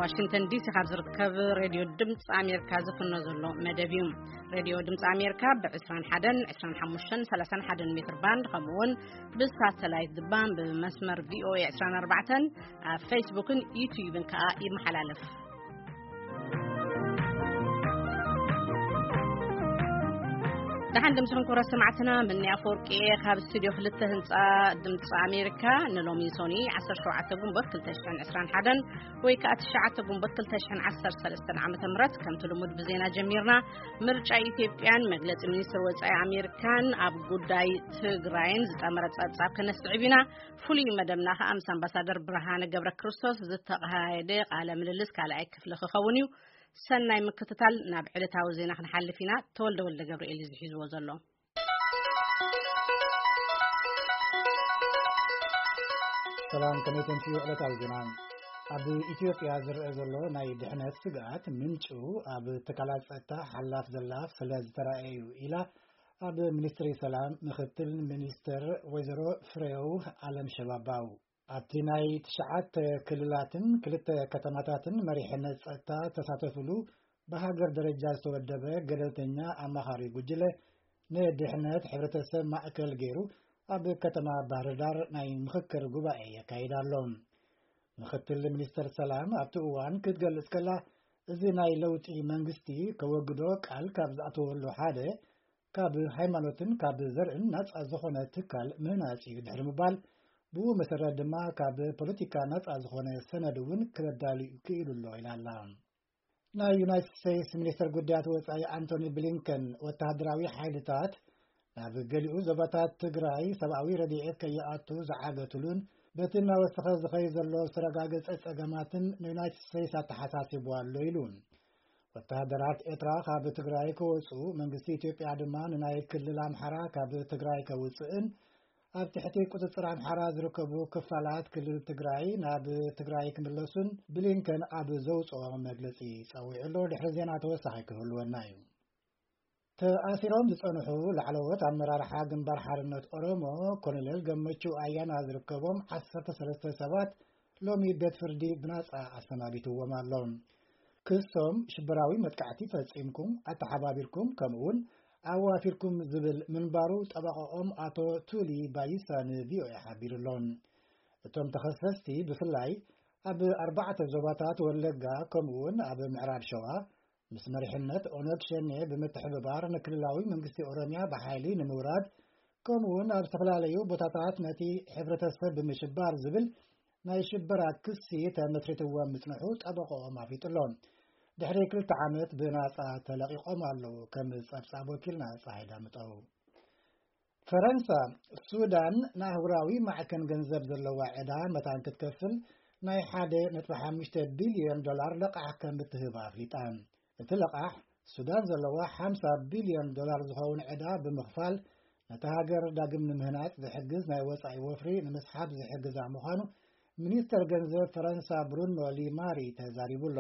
ዋሽንግተን ዲሲ ካብ ዝርከብ ሬድዮ ድምፂ ኣሜሪካ ዝፍኖ ዘሎ መደብ እዩ። ሬድዮ ድምፂ ኣሜሪካ ብ ዕስራን ሓደን፣ ዕስራን ሓሙሽተን፣ ሰላሳን ሓደን ሜትር ባንድ፣ ከምኡ እውን ብሳተላይት ድማ ብመስመር ቪ ኦ ኤ ዕስራን ኣርባዕተን፣ ኣብ ፌስቡክን ዩትዩብን ከዓ ይመሓላለፍ። ደሓን ድምፅኹም ክቡራት ሰማዕትና፣ ምኒ ኣፈወርቂ እየ ካብ ስቱድዮ ክልተ ህንፃ ድምፂ ኣሜሪካ። ንሎሚ ሶኒ ዓሰርተ ሸውዓተ ጉንቦት ክልተ ሽሕን ዕስራን ሓደን ወይ ከዓ ትሽዓተ ጉንቦት ክልተ ሽሕን ዓሰርተ ሰለስተን ዓመተ ምህረት ከምቲ ልሙድ ብዜና ጀሚርና። ምርጫ ኢትዮጵያን መግለፂ ሚኒስትር ወፃኢ ኣሜሪካን ኣብ ጉዳይ ትግራይን ዝጠመረ ፀብፃብ ከነስዕብ ኢና። ፍሉይ መደብና ከዓ ምስ ኣምባሳደር ብርሃነ ገብረ ክርስቶስ ዝተኻየደ ቃለ ምልልስ ካልኣይ ክፍሊ ክኸውን እዩ። ሰናይ ምክትታል። ናብ ዕለታዊ ዜና ክንሓልፍ ኢና። ተወልደ ወልደ ገብርኤል እዩ ዝሒዝዎ ዘሎ። ሰላም፣ ከመይ ተንስዩ ዕለታዊ ዜና። ኣብ ኢትዮጵያ ዝረአ ዘሎ ናይ ድሕነት ስግኣት ምንጩ ኣብ ትካላት ጸጥታ ሓላፍ ዘላፍ ስለ ዝተረኣየ እዩ ኢላ ኣብ ሚኒስትሪ ሰላም ምክትል ሚኒስትር ወይዘሮ ፍሬው ኣለም ሸባባው። ኣብቲ ናይ ትሽዓተ ክልላትን ክልተ ከተማታትን መሪሕነት ጸጥታ ዝተሳተፍሉ ብሃገር ደረጃ ዝተወደበ ገለልተኛ ኣማኻሪ ጉጅለ ንድሕነት ሕብረተሰብ ማእከል ገይሩ ኣብ ከተማ ባህር ዳር ናይ ምኽክር ጉባኤ የካይድ ኣሎ። ምክትል ሚኒስትር ሰላም ኣብቲ እዋን ክትገልጽ ከላ፣ እዚ ናይ ለውጢ መንግስቲ ከወግዶ ቃል ካብ ዝኣተወሉ ሓደ ካብ ሃይማኖትን ካብ ዘርእን ናጻ ዝኾነ ትካል ምህናጽ እዩ ድሕሪ ምባል፣ ብኡ መሰረት ድማ ካብ ፖለቲካ ናጻ ዝኾነ ሰነድ እውን ክበዳሉ ክኢሉ ኣሎ ኢላ ኣላ። ናይ ዩናይትድ ስቴትስ ሚኒስትር ጉዳያት ወጻኢ ኣንቶኒ ብሊንከን፣ ወተሃደራዊ ሓይልታት ናብ ገሊኡ ዞባታት ትግራይ ሰብኣዊ ረድኤት ከይኣቱ ዝዓገቱሉን በቲ እናወሰኸ ዝኸይ ዘሎ ዝተረጋገጸ ጸገማትን ንዩናይትድ ስቴትስ ኣተሓሳሲቡ ኣሎ ኢሉ። ወተሃደራት ኤርትራ ካብ ትግራይ ክወጹ፣ መንግስቲ ኢትዮጵያ ድማ ንናይ ክልል ኣምሓራ ካብ ትግራይ ከውጽእን ኣብ ትሕቲ ቁጽጽር ኣምሓራ ዝርከቡ ክፋላት ክልል ትግራይ ናብ ትግራይ ክምለሱን ብሊንከን ኣብ ዘውጽኦ መግለጺ ጸዊዑ ኣሎ። ድሕሪ ዜና ተወሳኺ ክህልወና እዩ። ተኣሲሮም ዝጸንሑ ላዕለዎት ኣመራርሓ ግንባር ሓርነት ኦሮሞ ኮሎኔል ገመቹ ኣያና ዝርከቦም ዓሰርተ ሰለስተ ሰባት ሎሚ ቤት ፍርዲ ብናጻ ኣሰናቢትዎም ኣሎ። ክሶም ሽበራዊ መጥቃዕቲ ፈጺምኩም፣ ኣተሓባቢርኩም፣ ከምኡውን ኣዋፊርኩም ዝብል ምንባሩ ጠበቃኦም ኣቶ ቱሊ ባይሳ ን ቪ ኦ ኤ ሓቢሩ ኣሎ። እቶም ተኸሰስቲ ብፍላይ ኣብ ኣርባዕተ ዞባታት ወለጋ ከምኡውን ኣብ ምዕራብ ሸዋ ምስ መሪሕነት ኦነግ ሸኔ ብምትሕብባር ንክልላዊ መንግስቲ ኦሮሚያ ብሓይሊ ንምውራድ ከምኡውን ኣብ ዝተፈላለዩ ቦታታት ነቲ ሕብረተሰብ ብምሽባር ዝብል ናይ ሽበራ ክሲ ተመስሪትዎም ምጽንሑ ጠበቆኦም ኣፍሊጡ ኣሎ። ድሕሪ ክልተ ዓመት ብናጻ ተለቂቖም ኣለዉ። ከም ጸብጻብ ወኪልና ጸሃይ ዳምጠው። ፈረንሳ፣ ሱዳን ንኣህጉራዊ ማዕከን ገንዘብ ዘለዋ ዕዳ መታን ክትከፍል ናይ ሓደ ነጥቢ ሓሙሽተ ቢልዮን ዶላር ለቓሕ ከም እትህብ ኣፍሊጣ። እቲ ለቓሕ ሱዳን ዘለዋ ሓምሳ ቢልዮን ዶላር ዝኸውን ዕዳ ብምኽፋል ነታ ሃገር ዳግም ንምህናጽ ዝሕግዝ ናይ ወጻኢ ወፍሪ ንምስሓብ ዝሕግዛ ምዃኑ ሚኒስተር ገንዘብ ፈረንሳ ብሩኖ ሊማሪ ተዛሪቡ ኣሎ።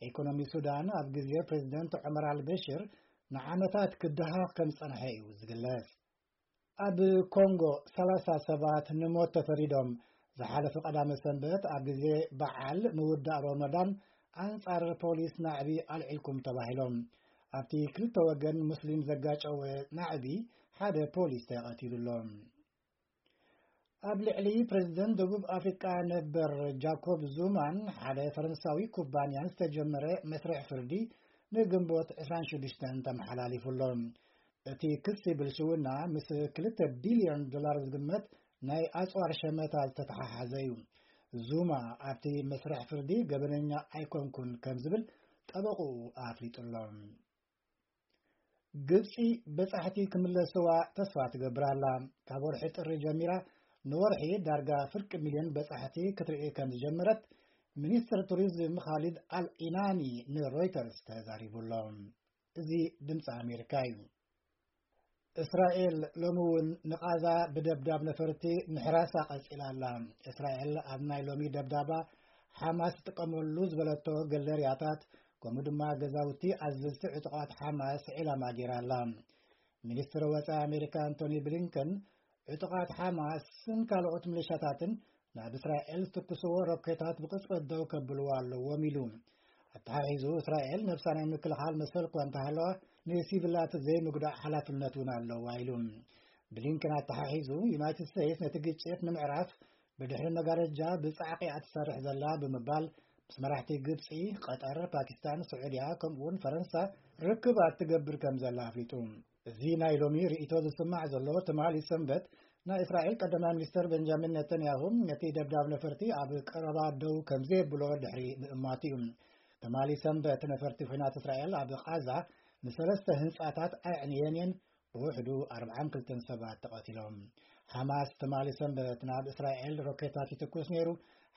ኢኮኖሚ ሱዳን ኣብ ግዜ ፕሬዚደንት ዑመር ኣልበሽር ንዓመታት ክደሃኽ ከም ዝጸንሐ እዩ ዝግለጽ። ኣብ ኮንጎ ሰላሳ ሰባት ንሞት ተፈሪዶም። ዝሓለፈ ቀዳመ ሰንበት ኣብ ግዜ በዓል ምውዳእ ሮመዳን ኣንጻር ፖሊስ ናዕቢ ኣልዒልኩም ተባሂሎም። ኣብቲ ክልተ ወገን ሙስሊም ዘጋጨወ ናዕቢ ሓደ ፖሊስ ተቐቲሉ ኣሎ። ኣብ ልዕሊ ፕሬዚደንት ደቡብ ኣፍሪቃ ነበር ጃኮብ ዙማን ሓደ ፈረንሳዊ ኩባንያን ዝተጀመረ መስርሕ ፍርዲ ንግንቦት ዕስራን ሽዱሽተን ተመሓላሊፉ ኣሎ። እቲ ክሲ ብልሽውና ምስ ክልተ ቢልዮን ዶላር ዝግመት ናይ ኣጽዋር ሸመታ ዝተተሓሓዘ እዩ። ዙማ ኣብቲ መስርሕ ፍርዲ ገበነኛ ኣይኮንኩን ከም ዝብል ጠበቕኡ ኣፍሊጡ ኣሎ። ግብጺ በጻሕቲ ክምለስዋ ተስፋ ትገብር ኣላ። ካብ ወርሒ ጥሪ ጀሚራ ንወርሒ ዳርጋ ፍርቂ ሚልዮን በጻሕቲ ክትርኢ ከም ዝጀመረት ሚኒስትር ቱሪዝም ኻሊድ ኣል ኢናኒ ንሮይተርስ ተዛሪቡ ኣሎ። እዚ ድምፂ ኣሜሪካ እዩ። እስራኤል ሎሚ እውን ንቓዛ ብደብዳብ ነፈርቲ ምሕራሳ ቀጺላ ኣላ። እስራኤል ኣብ ናይ ሎሚ ደብዳባ ሓማስ ትጥቀመሉ ዝበለቶ ገለርያታት ከምኡ ድማ ገዛውቲ ኣዘዝቲ ዕጡቓት ሓማስ ዒላማ ገይራ ኣላ። ሚኒስትር ወጻኢ ኣሜሪካ ኣንቶኒ ብሊንከን ዕጡቓት ሓማስን ካልኦት ሚሊሻታትን ናብ እስራኤል ዝትኩስዎ ሮኬታት ብቕጽበት ደው ከብልዎ ኣለዎም ኢሉ። ኣተሓሒዙ፣ እስራኤል ነብሳ ናይ ምክልኻል መሰል እኳ እንተሃለዋ፣ ንሲቪላት ዘይምጉዳእ ሓላፍነት እውን ኣለዋ ኢሉ። ብሊንከን ኣተሓሒዙ፣ ዩናይትድ ስቴትስ ነቲ ግጭት ንምዕራፍ ብድሕሪ መጋረጃ ብጻዕቂ እያ ትሰርሕ ዘላ ብምባል፣ ምስ መራሕቲ ግብጺ፣ ቀጠር፣ ፓኪስታን፣ ስዑድያ፣ ከምኡውን ፈረንሳ ርክባት ትገብር ከም ዘላ ኣፍሊጡ። እዚ ናይ ሎሚ ርእይቶ ዝስማዕ ዘሎ፣ ትማሊ ሰንበት ናይ እስራኤል ቀዳማይ ሚኒስተር ቤንጃሚን ነተንያሁ ነቲ ደብዳብ ነፈርቲ ኣብ ቀረባ ደው ከም ዘየብሎ ድሕሪ ምእማቱ እዩ። ትማሊ ሰንበት ነፈርቲ ኲናት እስራኤል ኣብ ቓዛ ንሰለስተ ህንጻታት ኣዕንየን እየን፣ ብውሕዱ ኣርብዓን ክልተን ሰባት ተቐቲሎም። ሓማስ ትማሊ ሰንበት ናብ እስራኤል ሮኬታት ይትኩስ ነይሩ።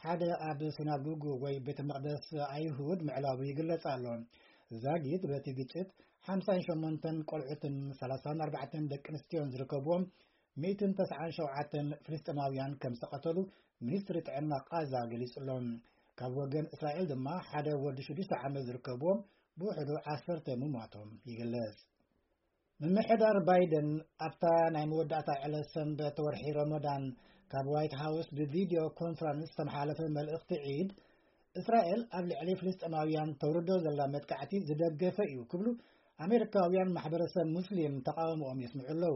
ሓደ ኣብ ሲናጎግ ወይ ቤተ መቕደስ ኣይሁድ ምዕላቡ ይግለጽ ኣሎ። ዛጊት በቲ ግጭት ሓምሳን ሸሞንተን ቆልዑትን ሰላሳን ኣርባዕተን ደቂ ኣንስትዮን ዝርከብዎም ሚእትን ተስዓን ሸውዓተን ፍልስጤማውያን ከም ዝተቐተሉ ሚኒስትሪ ጥዕና ቓዛ ገሊጹ ኣሎ። ካብ ወገን እስራኤል ድማ ሓደ ወዲ ሽዱሽተ ዓመት ዝርከብዎም ብውሕዱ ዓሰርተ ምሟቶም ይግለጽ። ምምሕዳር ባይደን ኣብታ ናይ መወዳእታ ዕለት ሰንበት ወርሒ ረመዳን ካብ ዋይት ሃውስ ብቪድዮ ኮንፈረንስ ዝተመሓላለፈ መልእኽቲ ዒድ፣ እስራኤል ኣብ ልዕሊ ፍልስጤማውያን ተውርዶ ዘላ መጥቃዕቲ ዝደገፈ እዩ ክብሉ ኣሜሪካውያን ማሕበረሰብ ሙስሊም ተቃውሞኦም የስምዑ ኣለዉ።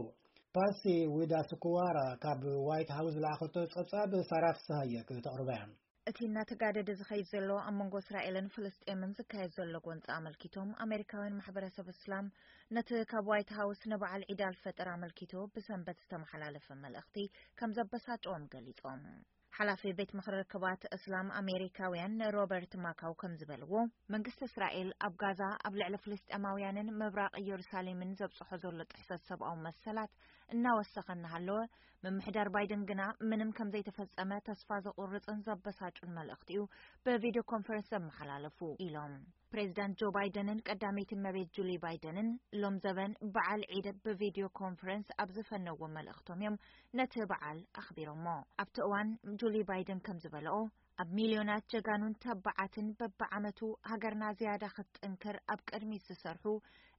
ፓሲ ዊዳስኩዋራ ካብ ዋይት ሃውስ ዝለኣኸቶ ጸብጻብ ሳራ ፍስሃየ ክተቕርባ እያ። እቲ እናተጋደደ ዝኸይድ ዘሎ ኣብ መንጎ እስራኤልን ፍልስጤምን ዝካየድ ዘሎ ጎንፂ ኣመልኪቶም፣ ኣሜሪካውያን ማሕበረሰብ እስላም ነቲ ካብ ዋይት ሃውስ ንበዓል ዒድ ኣልፈጥር ኣመልኪቱ ብሰንበት ዝተመሓላለፈ መልእኽቲ ከም ዘበሳጨዎም ገሊጾም። ሓላፊ ቤት ምኽሪ ርክባት እስላም ኣሜሪካውያን ሮበርት ማካው ከም ዝበልዎ፣ መንግስቲ እስራኤል ኣብ ጋዛ ኣብ ልዕሊ ፍልስጤማውያንን ምብራቕ ኢየሩሳሌምን ዘብጽሖ ዘሎ ጥሕሰት ሰብኣዊ መሰላት እናወሰኸ እናሃለወ፣ ምምሕዳር ባይደን ግና ምንም ከም ዘይተፈጸመ ተስፋ ዘቑርጽን ዘበሳጩን መልእኽቲ እዩ ብቪድዮ ኮንፈረንስ ዘመሓላለፉ ኢሎም። ፕሬዚዳንት ጆ ባይደንን ቀዳመይቲ እመቤት ጁሊ ባይደንን ሎም ዘበን በዓል ዒድ ብቪድዮ ኮንፈረንስ ኣብ ዝፈነዎ መልእኽቶም እዮም ነቲ በዓል ኣኽቢሮሞ። ኣብቲ እዋን ጁሊ ባይደን ከም ዝበለኦ፣ ኣብ ሚልዮናት ጀጋኑን ተባዓትን በብዓመቱ ሃገርና ዝያዳ ክትጥንክር ኣብ ቅድሚት ዝሰርሑ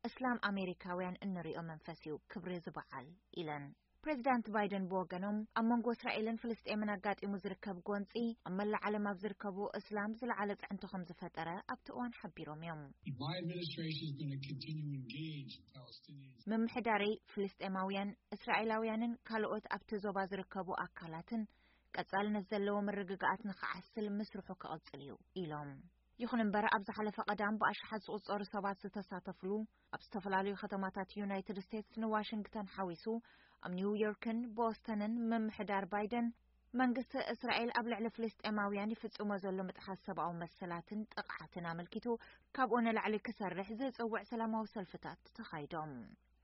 እስላም ኣሜሪካውያን እንሪኦ መንፈስ እዩ ክብሪ እዚ በዓል ኢለን። ፕሬዚዳንት ባይደን ብወገኖም፣ ኣብ መንጎ እስራኤልን ፍልስጤምን ኣጋጢሙ ዝርከብ ጎንጺ ኣብ መላእ ዓለም ኣብ ዝርከቡ እስላም ዝለዓለ ጽዕንቶ ከም ዝፈጠረ ኣብቲ እዋን ሓቢሮም እዮም። My administration is going to continue to engage Palestinians. ምምሕዳረይ ፍልስጤማውያን፣ እስራኤላውያንን ካልኦት ኣብቲ ዞባ ዝርከቡ ኣካላትን ቀጻልነት ዘለዎ ምርግጋኣት ንኽዓስል ምስርሑ ክቕጽል እዩ ኢሎም። ይኹን እምበር፣ ኣብ ዝሓለፈ ቀዳም ብኣሽሓት ዝቑጸሩ ሰባት ዝተሳተፍሉ ኣብ ዝተፈላለዩ ከተማታት ዩናይትድ ስቴትስ ንዋሽንግተን ሓዊሱ ኣብ ኒውዮርክን ቦስተንን ምምሕዳር ባይደን መንግስቲ እስራኤል ኣብ ልዕሊ ፍልስጤማውያን ይፍጽሞ ዘሎ ምጥሓስ ሰብኣዊ መሰላትን ጥቕዓትን ኣመልኪቱ ካብኡ ንላዕሊ ክሰርሕ ዝጽውዕ ሰላማዊ ሰልፍታት ተኻይዶም።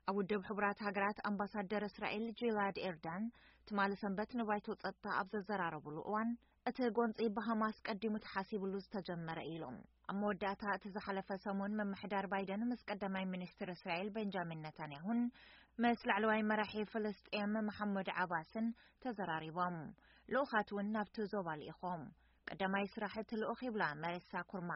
ኣብ ውድብ ሕቡራት ሃገራት ኣምባሳደር እስራኤል ጂላድ ኤርዳን ትማሊ ሰንበት ንባይቶ ጸጥታ ኣብ ዘዘራረብሉ እዋን፣ እቲ ጎንጺ ብሃማስ ቀዲሙ ተሓሲብሉ ዝተጀመረ ኢሎም። ኣብ መወዳእታ እቲ ዝሓለፈ ሰሙን ምምሕዳር ባይደን ምስ ቀዳማይ ሚኒስትር እስራኤል ቤንጃሚን ነታንያሁን ምስ ላዕለዋይ መራሒ ፍልስጤም መሓሙድ ዓባስን ተዘራሪቦም። ልኡኻት እውን ናብቲ ዞባ ልኢኾም። ቀዳማይ ስራሕ እቲ ልኡኽ ይብላ መሬሳ ኩርማ፣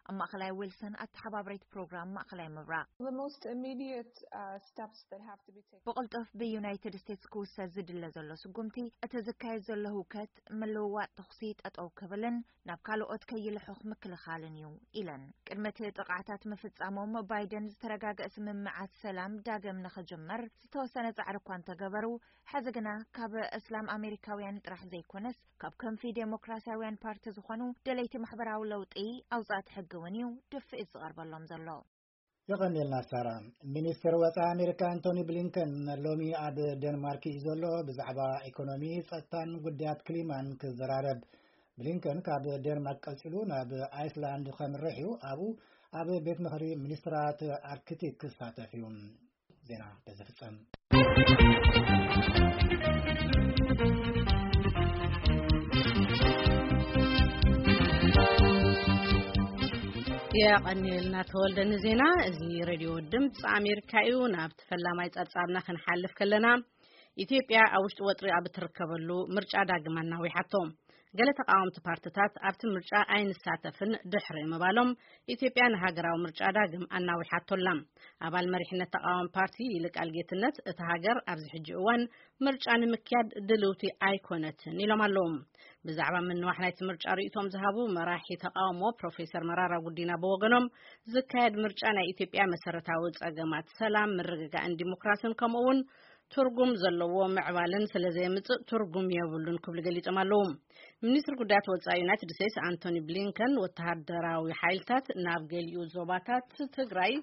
ኣብ ማእኸላይ ዊልሰን ኣተሓባብሪት ፕሮግራም ማእኸላይ ምብራቕ። The most immediate, uh, steps that have to be taken. ብቕልጡፍ ብዩናይትድ ስቴትስ ክውሰድ ዝድለ ዘሎ ስጉምቲ፣ እቲ ዝካየድ ዘሎ ህውከት ምልውዋጥ ተኹሲ ጠጠው ክብልን ናብ ካልኦት ከይልሑኽ ምክልኻልን እዩ ኢለን። ቅድሚ እቲ ጥቕዓታት ምፍጻሞም ባይደን ዝተረጋገአ ስምምዓት ሰላም ዳግም ንኽጅመር ዝተወሰነ ጻዕሪ እኳ እንተገበሩ፣ ሕዚ ግና ካብ እስላም ኣሜሪካውያን ጥራሕ ዘይኮነስ ካብ ክንፊ ዴሞክራሲያውያን ፓርቲ ዝኾኑ ደለይቲ ማሕበራዊ ለውጢ ኣውጻእቲ ሕጊ እውን እዩ ድፍኢት ዝቐርበሎም ዘሎ። የቐንየልና ሳራ። ሚኒስትር ወፃኢ ኣሜሪካ ኣንቶኒ ብሊንከን ሎሚ ኣብ ዴንማርክ እዩ ዘሎ። ብዛዕባ ኢኮኖሚ፣ ጸጥታን ጉዳያት ክሊማን ክዘራረብ። ብሊንከን ካብ ዴንማርክ ቀጺሉ ናብ ኣይስላንድ ከምርሕ እዩ። ኣብኡ ኣብ ቤት ምኽሪ ሚኒስትራት ኣርክቲክ ክሳተፍ እዩ። ዜና በዚ ፍጸም። የቐንየልና ተወልደ ንዜና። እዚ ሬድዮ ድምፂ ኣሜሪካ እዩ። ናብቲ ፈላማይ ጸብጻብና ክንሓልፍ ከለና፣ ኢትዮጵያ ኣብ ውሽጢ ወጥሪ ኣብ እትርከበሉ ምርጫ ዳግም ኣናዊሓቶ። ገለ ተቃወምቲ ፓርትታት ኣብቲ ምርጫ ኣይንሳተፍን ድሕሪ ምባሎም፣ ኢትዮጵያ ንሃገራዊ ምርጫ ዳግም ኣናዊሓቶ ኣላ። ኣባል መሪሕነት ተቃዋሚ ፓርቲ ይልቃል ጌትነት፣ እታ ሃገር ኣብዚ ሕጂ እዋን ምርጫ ንምክያድ ድልውቲ ኣይኮነትን ኢሎም ኣለዉ። ብዛዕባ ምንዋሕ ናይቲ ምርጫ ርእይቶም ዝሃቡ መራሒ ተቃውሞ ፕሮፌሰር መራራ ጉዲና ብወገኖም፣ ዝካየድ ምርጫ ናይ ኢትዮጵያ መሰረታዊ ጸገማት ሰላም፣ ምርግጋእን ዲሞክራስን ከምኡ እውን ትርጉም ዘለዎ ምዕባልን ስለ ዘየምጽእ ትርጉም የብሉን ክብሉ ገሊጾም ኣለዉ። ሚኒስትሪ ጉዳያት ወጻኢ ዩናይትድ ስቴትስ ኣንቶኒ ብሊንከን፣ ወተሃደራዊ ሓይልታት ናብ ገሊኡ ዞባታት ትግራይ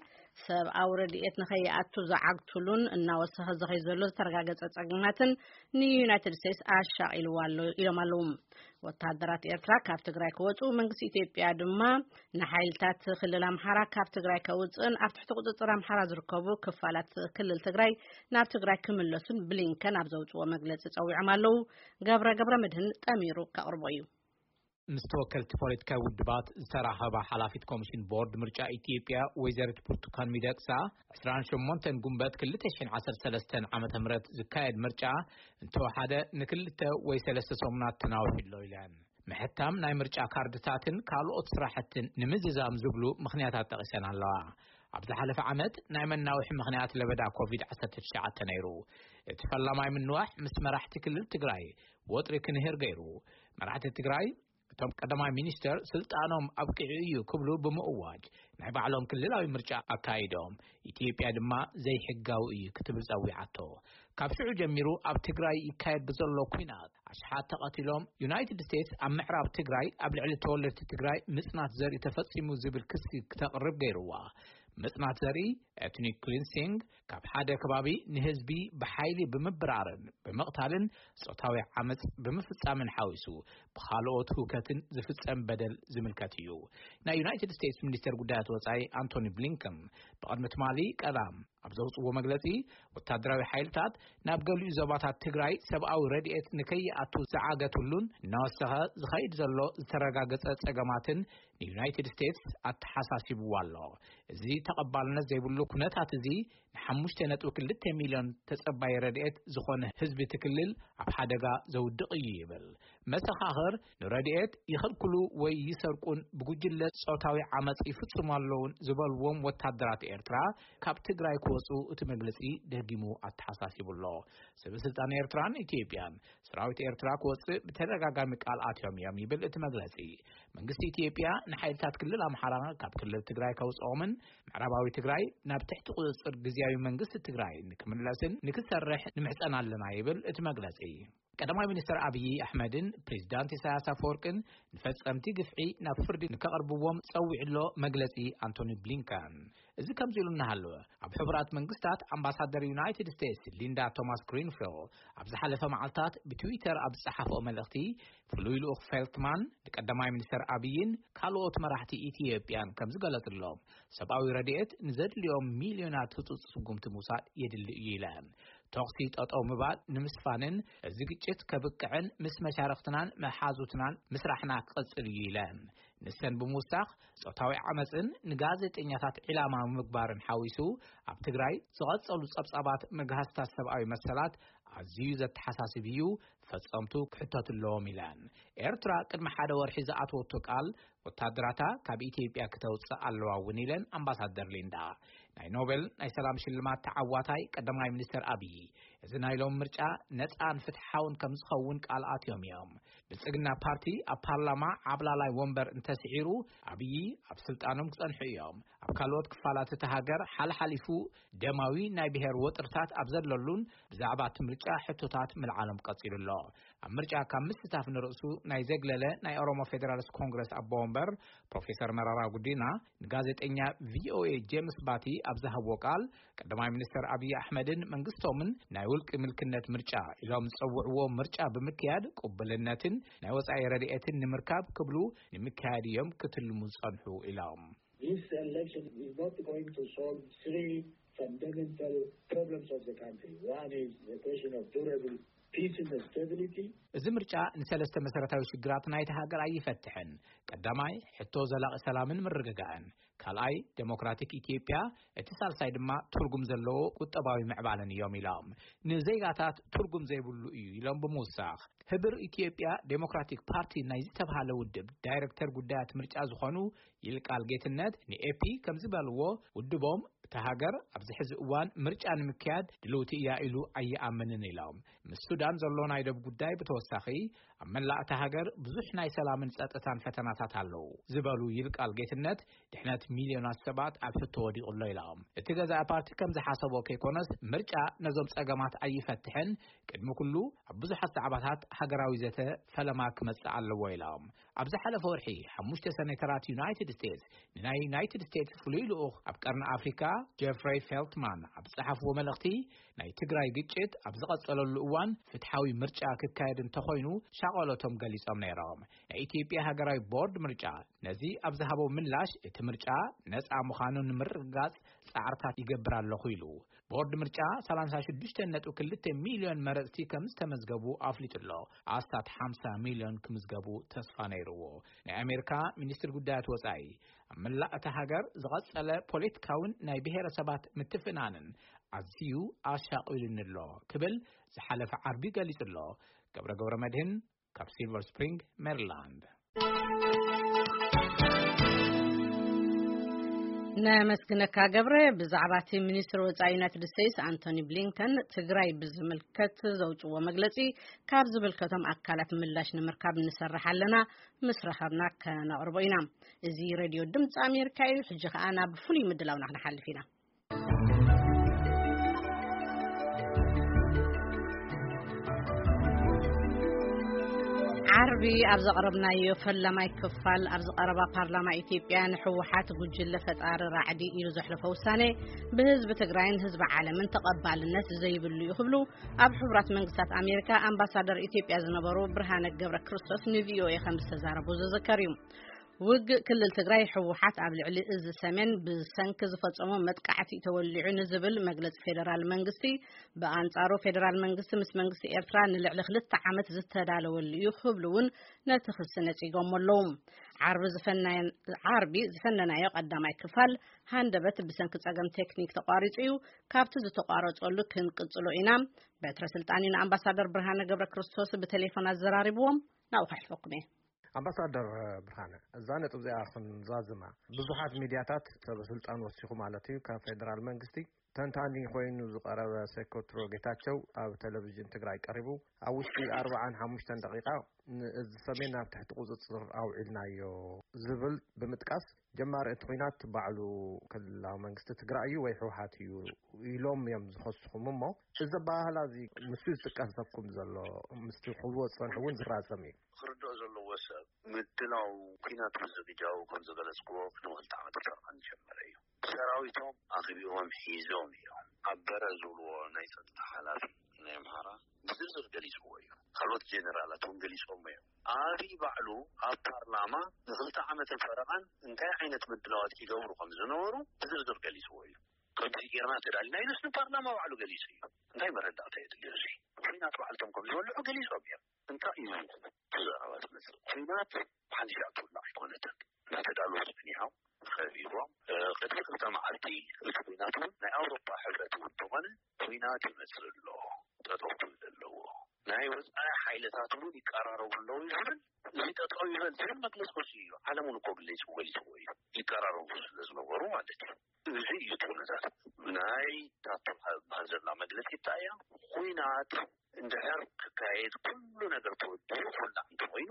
ሰብኣዊ ረድኤት ንኸይኣቱ ዝዓግትሉን እናወሰኸ ዝኸይ ዘሎ ዝተረጋገጸ ጸገማትን ንዩናይትድ ስቴትስ ኣሻቒልዋ ኣሎ ኢሎም ኣለዉ። ወተሃደራት ኤርትራ ካብ ትግራይ ክወጹ፣ መንግስቲ ኢትዮጵያ ድማ ንሓይልታት ክልል ኣምሓራ ካብ ትግራይ ከውጽእን ኣብ ትሕቲ ቁጽጽር ኣምሓራ ዝርከቡ ክፋላት ክልል ትግራይ ናብ ትግራይ ክምለሱን ብሊንከን ኣብ ዘውጽዎ መግለጺ ጸዊዖም ኣለዉ። ገብረ ገብረ መድህን ጠሚሩ ከቕርቦ እዩ። ምስ ተወከልቲ ፖለቲካዊ ውድባት ዝተራኸባ ሓላፊት ኮሚሽን ቦርድ ምርጫ ኢትዮጵያ ወይዘሪት ብርቱካን ሚደቅሳ፣ ዕስራን ሸሞንተን ጉንበት ክልተ ሽሕን ዓሰርተ ሰለስተን ዓመተ ምህረት ዝካየድ ምርጫ እንተወሓደ ንክልተ ወይ ሰለስተ ሰሙናት ተናዊሑ ኣሎ ኢለን። ምሕታም ናይ ምርጫ ካርድታትን ካልኦት ስራሕትን ንምዝዛም ዝብሉ ምኽንያታት ጠቒሰን ኣለዋ። ኣብ ዝሓለፈ ዓመት ናይ መናውሒ ምኽንያት ለበዳ ኮቪድ ዓሰርተ ትሽዓተ ነይሩ። እቲ ፈላማይ ምንዋሕ ምስ መራሕቲ ክልል ትግራይ ወጥሪ ክንህር ገይሩ። መራሕቲ ትግራይ፣ እቶም ቀዳማይ ሚኒስተር ስልጣኖም ኣብቂዑ እዩ ክብሉ ብምእዋጅ ናይ ባዕሎም ክልላዊ ምርጫ ኣካይዶም፣ ኢትዮጵያ ድማ ዘይሕጋዊ እዩ ክትብል ጸዊዓቶ። ካብ ሽዑ ጀሚሩ ኣብ ትግራይ ይካየድ ብዘሎ ኲናት ኣሽሓት ተቐቲሎም፣ ዩናይትድ ስቴትስ ኣብ ምዕራብ ትግራይ ኣብ ልዕሊ ተወለድቲ ትግራይ ምጽናት ዘርኢ ተፈጺሙ ዝብል ክሲ ክተቕርብ ገይርዋ። ምጽናት ዘርኢ፣ ኤትኒክ ክሊንሲንግ፣ ካብ ሓደ ከባቢ ንህዝቢ ብሓይሊ ብምብራርን ብምቕታልን ጾታዊ ዓመጽ ብምፍጻምን ሓዊሱ ብኻልኦት ህውከትን ዝፍጸም በደል ዝምልከት እዩ። ናይ ዩናይትድ ስቴትስ ሚኒስተር ጉዳያት ወጻኢ ኣንቶኒ ብሊንከን ብቕድሚ ትማሊ ቀዳም ኣብ ዘውጽዎ መግለጺ፣ ወታደራዊ ሓይልታት ናብ ገሊኡ ዞባታት ትግራይ ሰብኣዊ ረድኤት ንከይኣቱ ዝዓገትሉን እናወሰኸ ዝኸይድ ዘሎ ዝተረጋገጸ ጸገማትን ንዩናይትድ ስቴትስ ኣተሓሳሲብዋ ኣሎ። እዚ ተቐባልነት ዘይብሉ ኩነታት እዚ ንሓሙሽተ ነጥቢ ክልተ ሚልዮን ተጸባይ ረድኤት ዝኾነ ህዝቢ እቲ ክልል ኣብ ሓደጋ ዘውድቕ እዩ ይብል። መሰኻኽር ንረድኤት ይኸልክሉ ወይ ይሰርቁን ብጉጅለ ጾታዊ ዓመጽ ይፍጽሙ ኣለውን ዝበልዎም ወታደራት ኤርትራ ካብ ትግራይ ክወጹ እቲ መግለጺ ደጊሙ ኣተሓሳሲቡ ኣሎ። ሰበ ስልጣን ኤርትራን ኢትዮጵያን ሰራዊት ኤርትራ ክወጽእ ብተደጋጋሚ ቃል ኣትዮም እዮም ይብል እቲ መግለጺ። መንግስቲ ኢትዮጵያ ንሓይልታት ክልል ኣምሓራ ካብ ክልል ትግራይ ከውጽኦምን ምዕራባዊ ትግራይ ናብ ትሕቲ ቁጽጽር ግዝያዊ መንግስቲ ትግራይ ንክምለስን ንክሰርሕ ንምሕጸን ኣለና ይብል እቲ መግለጺ። ቀዳማይ ሚኒስትር ኣብይ ኣሕመድን ፕሬዚዳንት ኢሳያስ ኣፈወርቅን ንፈጸምቲ ግፍዒ ናብ ፍርዲ ንከቕርብዎም ጸዊዑ ኣሎ መግለጺ ኣንቶኒ ብሊንከን። እዚ ከምዚ ኢሉ እናሃለወ፣ ኣብ ሕቡራት መንግስታት ኣምባሳደር ዩናይትድ ስቴትስ ሊንዳ ቶማስ ግሪንፊልድ ኣብ ዝሓለፈ መዓልታት ብትዊተር ኣብ ዝጸሓፈኦ መልእኽቲ፣ ፍሉይ ልኡኽ ፌልትማን ንቀዳማይ ሚኒስተር ኣብይን ካልኦት መራሕቲ ኢትዮጵያን ከም ዝገለጽሎም፣ ሰብኣዊ ረድኤት ንዘድልዮም ሚልዮናት ህጹጽ ስጉምቲ ምውሳድ የድሊ እዩ ኢለን። ተኹሲ ጠጠው ምባል ንምስፋንን እዚ ግጭት ከብቅዕን ምስ መሻርኽትናን መሓዙትናን ምስራሕና ክቕጽል እዩ ኢለን። ንሰን ብምውሳኽ፣ ጾታዊ ዓመጽን ንጋዜጠኛታት ዒላማ ምግባርን ሓዊሱ፣ ኣብ ትግራይ ዝቐጸሉ ጸብጻባት መግሃስታት ሰብኣዊ መሰላት ኣዝዩ ዘተሓሳስብ እዩ፣ ፈጸምቱ ክሕተቱ ኣለዎም ኢለን። ኤርትራ ቅድሚ ሓደ ወርሒ ዝኣተወቶ ቃል፣ ወታደራታ ካብ ኢትዮጵያ ክተውጽእ ኣለዋ እውን ኢለን ኣምባሳደር ሊንዳ። ናይ ኖቤል ናይ ሰላም ሽልማት ተዓዋታይ ቀዳማይ ሚኒስተር ኣብዪ፣ እዚ ናይ ሎም ምርጫ ነጻን ፍትሓውን ከም ዝኸውን ቃል ኣትዮም እዮም። ብልጽግና ፓርቲ ኣብ ፓርላማ ዓብላላይ ወንበር እንተስዒሩ፣ ኣብዪ ኣብ ስልጣኖም ክጸንሑ እዮም። ኣብ ካልኦት ክፋላት እታ ሃገር ሓልሓሊፉ ደማዊ ናይ ብሔር ወጥርታት ኣብ ዘለሉን ብዛዕባ እቲ ምርጫ ሕቶታት ምልዓሎም ቀጺሉ ኣሎ። ኣብ ምርጫ ካብ ምስታፍ ንርእሱ ናይ ዘግለለ ናይ ኦሮሞ ፌደራሊስት ኮንግረስ ኣቦ ወንበር ፕሮፌሰር መራራ ጉዲና ንጋዜጠኛ ቪኦኤ ጄምስ ባቲ ኣብ ዝሃብዎ ቃል፣ ቀዳማይ ሚኒስተር ኣብዪ ኣሕመድን መንግስቶምን ናይ ውልቂ ምልክነት ምርጫ ኢሎም ዝጸውዕዎ ምርጫ ብምክያድ ቅቡልነትን ናይ ወጻኢ ረድኤትን ንምርካብ ክብሉ ንምክያድ እዮም ክትልሙ ዝጸንሑ ኢሎም። This election is not going to solve three fundamental problems of the country. One is the question of durable Peace and stability. እዚ ምርጫ ንሰለስተ መሰረታዊ ሽግራት ናይቲ ሃገር ኣይፈትሕን። ቀዳማይ፣ ሕቶ ዘላቒ ሰላምን ምርግጋእን። ካልኣይ፣ ዴሞክራቲክ ኢትዮጵያ እቲ ሳልሳይ ድማ ትርጉም ዘለዎ ቁጠባዊ ምዕባለን እዮም ኢሎም። ንዜጋታት ትርጉም ዘይብሉ እዩ ኢሎም ብምውሳኽ፣ ህብር ኢትዮጵያ ዴሞክራቲክ ፓርቲ ናይ ዝተብሃለ ውድብ ዳይሬክተር ጉዳያት ምርጫ ዝኾኑ ይልቃል ጌትነት ንኤፒ ከም ዝበልዎ፣ ውድቦም እታ ሃገር ኣብዚ ሕዚ እዋን ምርጫ ንምክያድ ድልውቲ እያ ኢሉ ኣይኣምንን ኢሎም። ምስ ሱዳን ዘሎ ናይ ደብ ጉዳይ ብተወሳኺ ኣብ መላእ እታ ሃገር ብዙሕ ናይ ሰላምን ጸጥታን ፈተናታት ኣለዉ ዝበሉ ይልቃል ጌትነት፣ ድሕነት ሚልዮናት ሰባት ኣብ ሕቶ ወዲቑ ኣሎ ኢሎም። እቲ ገዛኢ ፓርቲ ከም ዝሓሰቦ ከይኮነስ፣ ምርጫ ነዞም ጸገማት ኣይፈትሕን፣ ቅድሚ ኩሉ ኣብ ብዙሓት ዛዕባታት ሃገራዊ ዘተ ፈለማ ክመጽእ ኣለዎ ኢሎም። ኣብ ዝሓለፈ ወርሒ ሓሙሽተ ሰኔተራት ዩናይትድ ስቴትስ ንናይ ዩናይትድ ስቴትስ ፍሉይ ልኡኽ ኣብ ቀርኒ ኣፍሪካ ጀፍረይ ፌልትማን ኣብ ዝጸሓፍዎ መልእኽቲ፣ ናይ ትግራይ ግጭት ኣብ ዝቐጸለሉ እዋን ፍትሓዊ ምርጫ ክካየድ እንተኾይኑ ሻቐሎቶም ገሊጾም ነይሮም። ናይ ኢትዮጵያ ሃገራዊ ቦርድ ምርጫ ነዚ ኣብ ዝሃቦ ምላሽ፣ እቲ ምርጫ ነጻ ምዃኑ ንምርግጋጽ ጻዕርታት ይገብር ኣለኹ ኢሉ። ቦርድ ምርጫ ሰላሳ ሽዱሽተ ነጥቢ ክልተ ሚልዮን መረጽቲ ከም ዝተመዝገቡ ኣፍሊጡ ኣሎ። ኣስታት ሓምሳ ሚልዮን ክምዝገቡ ተስፋ ነይርዎ። ናይ ኣሜሪካ ሚኒስትር ጉዳያት ወጻኢ፣ ኣብ መላእ እታ ሃገር ዝቐጸለ ፖለቲካውን ናይ ብሔረሰባት ምትፍናንን ኣዝዩ ኣሻቒሉኒ ኣሎ ክብል ዝሓለፈ ዓርቢ ገሊጹ ኣሎ። ገብረ ገብረ መድህን ካብ ሲልቨር ስፕሪንግ ሜሪላንድ። ነመስግነካ ገብረ። ብዛዕባ እቲ ሚኒስትሪ ወፃኢ ዩናይትድ ስቴትስ ኣንቶኒ ብሊንከን ትግራይ ብዝምልከት ዘውፅዎ መግለፂ ካብ ዝምልከቶም ኣካላት ምላሽ ንምርካብ ንሰርሕ ኣለና፣ ምስ ረኸብና ከነቕርቦ ኢና። እዚ ሬድዮ ድምፂ ኣሜሪካ እዩ። ሕጂ ከዓ ናብ ፍሉይ ምድላውና ክንሓልፍ ኢና። ዓርቢ ኣብ ዘቕረብናዮ ፈላማይ ክፋል፣ ኣብ ዝቐረባ ፓርላማ ኢትዮጵያ ንህወሓት ጉጅለ ፈጣሪ ራዕዲ ኢሉ ዘሕለፎ ውሳኔ ብህዝቢ ትግራይን ህዝቢ ዓለምን ተቐባልነት ዘይብሉ እዩ ክብሉ ኣብ ሕቡራት መንግስታት ኣሜሪካ ኣምባሳደር ኢትዮጵያ ዝነበሩ ብርሃነ ገብረ ክርስቶስ ንቪኦኤ ከም ዝተዛረቡ ዝዝከር እዩ። ውግእ ክልል ትግራይ ህወሓት ኣብ ልዕሊ እዚ ሰሜን ብሰንኪ ዝፈጸሞ መጥቃዕቲ ተወሊዑ ንዝብል መግለጺ ፌደራል መንግስቲ፣ ብኣንጻሩ ፌደራል መንግስቲ ምስ መንግስቲ ኤርትራ ንልዕሊ ክልተ ዓመት ዝተዳለወሉ እዩ ክብሉ እውን ነቲ ክሲ ነጺጎሞ ኣለዉ። ዓርቢ ዝፈናየ-፣ ዓርቢ ዝፈነናዮ ቀዳማይ ክፋል ሃንደበት ብሰንኪ ጸገም ቴክኒክ ተቋሪጹ እዩ። ካብቲ ዝተቋረጸሉ ክንቅጽሎ ኢና። በትረ ስልጣን እዩ ንኣምባሳደር ብርሃነ ገብረ ክርስቶስ ብቴሌፎን ኣዘራሪብዎም። ናብኡ ከሕልፈኩም እየ። ኣምባሳደር ብርሃነ፣ እዛ ነጥብ እዚኣ ክንዛዝማ፣ ብዙሓት ሚድያታት ሰበ ስልጣን ወሲኹ ማለት እዩ፣ ካብ ፌደራል መንግስቲ ተንታኒ ኮይኑ ዝቐረበ ሴኮትሮ ጌታቸው ኣብ ቴሌቪዥን ትግራይ ቀሪቡ፣ ኣብ ውሽጢ ኣርባዓን ሓሙሽተን ደቂቃ ንእዚ ሰሜን ናብ ትሕቲ ቁፅፅር ኣውዒልናዮ ዝብል ብምጥቃስ፣ ጀማሪ እቲ ኲናት ባዕሉ ክልላዊ መንግስቲ ትግራይ እዩ ወይ ህወሓት እዩ ኢሎም እዮም ዝኸስኹም። እሞ እዚ ኣበሃህላ እዚ ምስ ዝጥቀሰኩም ዘሎ፣ ምስቲ ክብልዎ ዝፀንሑ እውን ዝራዘም እዩ። ክርድኦ ዘለዎ ሰብ፣ ምድላው ኲናት ምዝግጃው ከም ዝገለጽክዎ ቅድሚ ክልተ ዓመት ፈረቓ ዝጀመረ እዩ። ሰራዊቶም ኣኽቢቦም ሒዞም እዮም። ኣበረ ዝብልዎ ናይ ጸጥታ ሓላፊ ናይ ኣምሓራ ብዝርዝር ገሊጽዎ እዩ። ካልኦት ጀነራላት እውን ገሊጾሞ እዮም። ኣብይ ባዕሉ ኣብ ፓርላማ ንክልተ ዓመትን ፈረቓን እንታይ ዓይነት ምድላዋት ይገብሩ ከም ዝነበሩ ብዝርዝር ገሊጽዎ እዩ። ከምዚ ጌርና ተዳሊና ኢሉስ ንፓርላማ ባዕሉ ገሊጹ እዩ። እንታይ መረዳእታ የድልዮ እዚ? ኲናት ባዕልቶም ከም ዝወልዑ ገሊጾም እዮም። እንታይ እዩ እዚ ዘረባ ዝመጽእ? ኲናት ብሓንቲ ሻዕ ትውላዕ ኣይኮነትን። እናተዳለዉ ጸኒሖም፣ ከቢቦም፣ እ፣ ቅድሚ ክልተ መዓልቲ እቲ ኲናት እውን ናይ ኣውሮፓ ሕብረት እውን እንተኾነ ኲናት ይመጽእ ኣሎ፣ ጠጠው ክብል ኣለዎ። ናይ ወጻኢ ሓይልታት እውን ይቀራረቡ ኣለዉ እዩ ዝብል፣ እዚ ጠጠው ይበል ዝብል መግለጺ ወጺኡ እዩ። ዓለም እውን እኮ ገሊጹ፣ ገሊጽዎ እዩ። ይቀራረቡ ስለ ዝነበሩ ማለት እዩ። እዚ እዩ እቲ ኩነታት። ናይ ታቶ ዝበሃል ዘላ መግለጺ እንታይ እያ? ኲናት እንድሕር ክካየድ ኩሉ ነገር ተወዲኡ ክውላዕ እንተኾይኑ፣